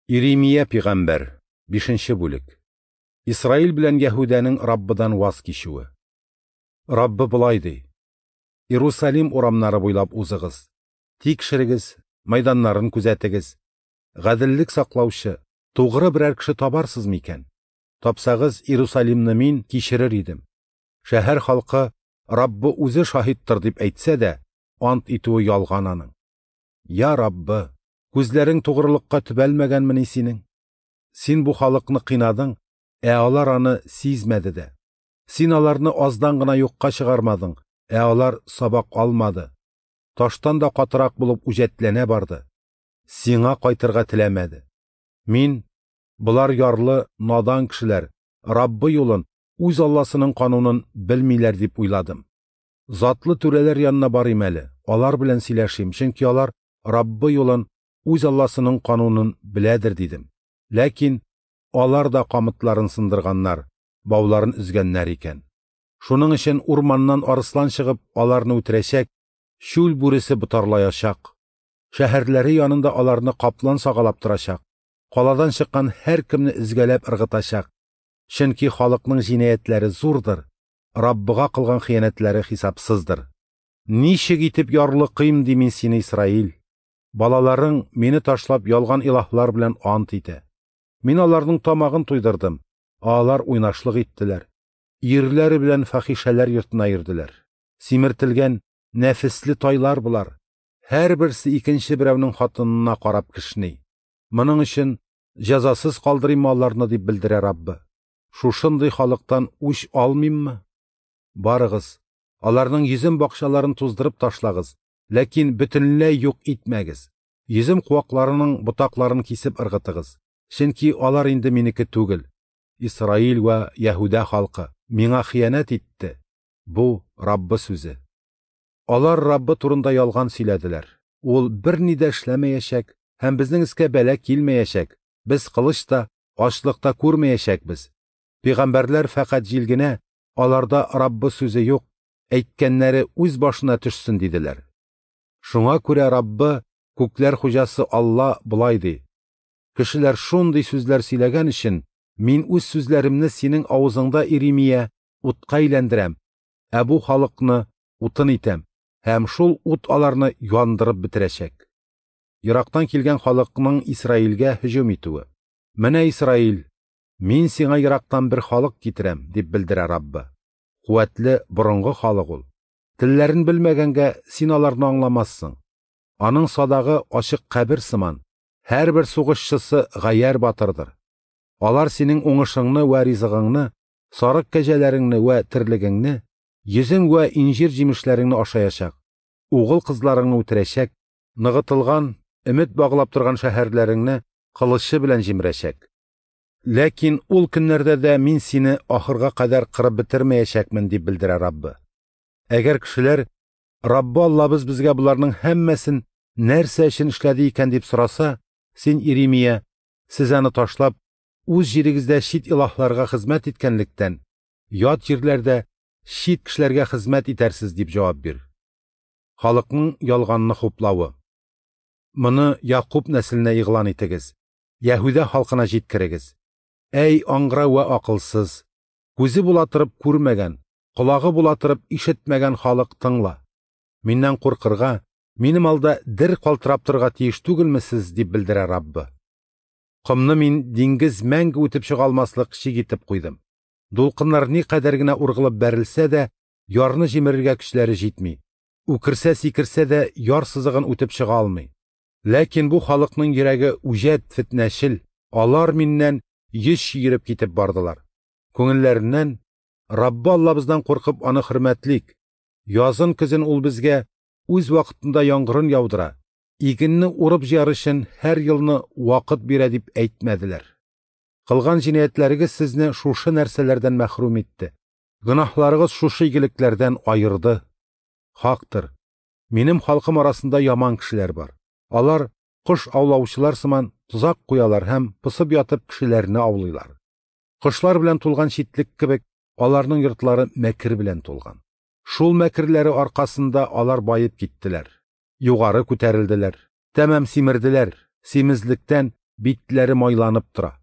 Иремия пигамбәр, 5 бүлек. Исраил белән Яһүдәнең Раббыдан ваз кичүе. Раббы болай ди: Иерусалим урамнары буйлап узыгыз, тикшерегез, мәйданнарын күзәтегез. Гаделлек саклаучы, тугры берәр кеше табарсыз микән? Тапсагыз, Иерусалимны мин кичерер идем. Шәһәр халкы Раббы үзе шаһиттыр дип әйтсә дә, ант итүе ялган аның. Я Раббы, күзләрең тугрылыкка төбәлмәгәнмени синең? Син бу халыкны кыйнадың, ә алар аны сизмәде дә. Син аларны аздан гына юкка чыгармадың, ә алар сабак алмады. Таштан да катырак булып үҗәтләнә барды. Сиңа кайтырга теләмәде. Мин, болар ярлы, надан кешеләр, Раббы юлын, үз Алласының канунын белмиләр дип уйладым. Затлы түрәләр янына барыйм әле, алар белән сөйләшим, чөнки алар Раббы юлын, үз Алласының канунын беләдер дидем. Ләкин алар да камытларын сындырганнар, бауларын өзгәннәр икән. Шуның өчен урманнан арыслан чыгып аларны үтерәчәк, чүл бүресе ботарлаячак. Шәһәрләре янында аларны каплан сагалап торачак. Каладан чыккан һәркемне өзгәләп ыргытачак. Чөнки халыкның җинаятьләре зурдыр, Раббыга кылган хыянәтләре хисапсыздыр. Ничек итеп ярлыкыйм ди мин сине, Исраил? Балаларың мине ташлап ялган илаһлар белән ант итә. Мин аларның тамагын туйдырдым, ә алар уйнашлык иттеләр. Ирләре белән фахишәләр йортына йөрделәр. Симертелгән нәфесле тайлар болар. Һәрберсе икенче берәүнең хатынына карап кешни. Моның өчен җәзасыз калдырыйм аларны дип белдерә Раббы. Шушындый халыктан үч алмыйммы? Барыгыз, аларның йөзем бакчаларын туздырып ташлагыз, ләкин бөтенләй юк итмәгез. Йөзем куакларының ботакларын кисеп ыргытыгыз. Чөнки алар инде минеке түгел. Исраил вә Яһүдә халкы миңа хыянәт итте. Бу Раббы сүзе. Алар Раббы турында ялган сөйләделәр. Ул берни дә эшләмәячәк һәм безнең өскә бәла килмәячәк. Без кылыч та, ачлык та күрмәячәкбез. Пәйгамбәрләр фәкать җил генә, аларда Раббы сүзе юк, әйткәннәре үз башына төшсен диделәр. Шуңа күрә Раббы, күкләр хуҗасы Алла болай ди: Кешеләр шундый сүзләр сөйләгән өчен мин үз сүзләремне синең авызыңда, Иремия, утка әйләндерәм, ә бу халыкны утын итәм, һәм шул ут аларны яндырып бетерәчәк. Ерактан килгән халыкның Исраилгә һөҗүм итүе. Менә, Исраил, мин сиңа ерактан бер халык китерәм, дип белдерә Раббы. Куәтле борынгы халык ул. Телләрен белмәгәнгә син аларны аңламассың. Аның садагы ачык кабер сыман, һәрбер сугышчысы гаярь батырдыр. Алар синең уңышыңны вә ризыгыңны, сарык кәҗәләреңне вә терлегеңне, йөзем вә инҗир җимешләреңне ашаячак, угыл кызларыңны үтерәчәк, ныгытылган, өмет баглап торган шәһәрләреңне кылычы белән җимерәчәк. Ләкин ул көннәрдә дә мин сине ахырга кадәр кырып бетермәячәкмен, дип белдерә Раббы. Әгәр кешеләр Раббы Аллабыз безгә боларның һәммәсен нәрсә өчен эшләде икән дип сораса, син, Иремия, сез аны ташлап, үз җирегездә чит илаһларга хезмәт иткәнлектән, ят җирләрдә чит кешеләргә хезмәт итәрсез дип җавап бир. Халыкның ялганны хуплавы. Моны Якуб нәселенә игълан итегез, Яһүдә халкына җиткерегез. Әй аңгыра вә акылсыз, күзе була торып күрмәгән, колагы була торып ишетмәгән халык, тыңла. Миннән куркырга, минем алда дер калтырап торырга тиеш түгелме сез, дип белдерә Раббы. Комны мин диңгез мәңге үтеп чыга алмаслык чик итеп куйдым. Дулкыннар никадәр генә ургылып бәрелсә дә, ярны җимерергә көчләре җитми. Үкерсә сикерсә дә, яр сызыгын үтеп чыга алмый. Ләкин бу халыкның йөрәге үҗәт, фетнәчел, алар миннән йөз чөереп китеп бардылар. Күңелләреннән Раббы Аллабыздан куркып аны хөрмәтлик. Язын көзен ул безгә үз вакытында яңгырын яудыра, игенне урып җыяр өчен һәр елны вакыт бирә дип әйтмәделәр. Кылган җинаятьләрегез сезне шушы нәрсәләрдән мәхрүм итте. Гөнаһларыгыз шушы игелекләрдән аерды. Хактыр, минем халкым арасында яман кешеләр бар. Алар кош аулаучылар сыман тозак куялар һәм пысып ятып кешеләрне аулыйлар. Кошлар белән тулган читлек кебек, аларның йортлары мәкер белән тулган. Шул мәкерләре аркасында алар баеп киттеләр. Югары күтәрелделәр, тәмам симерделәр, симезлектән битләре майланып тора.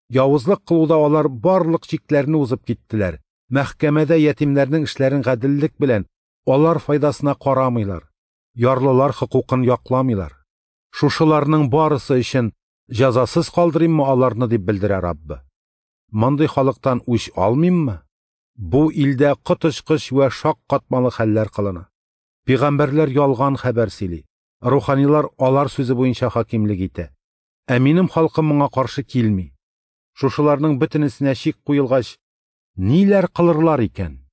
Явызлык кылуда алар барлык чикләрне узып киттеләр. Мәхкәмәдә ятимнәрнең эшләрен гаделлек белән, алар файдасына карамыйлар. Ярлылар хокукын якламыйлар. Шушыларның барысы өчен җәзасыз калдырыйммы аларны, дип белдерә Раббы. Мондый халыктан үч алмыйммы? Бу илдә коточкыч вә шаккатмалы хәлләр кылына. Пәйгамбәрләр ялган хәбәр сөйли. Руханилар алар сүзе буенча хакимлек итә. Ә минем халкым моңа каршы килми. Шушыларның бөтенесенә чик куелгач, ниләр кылырлар икән?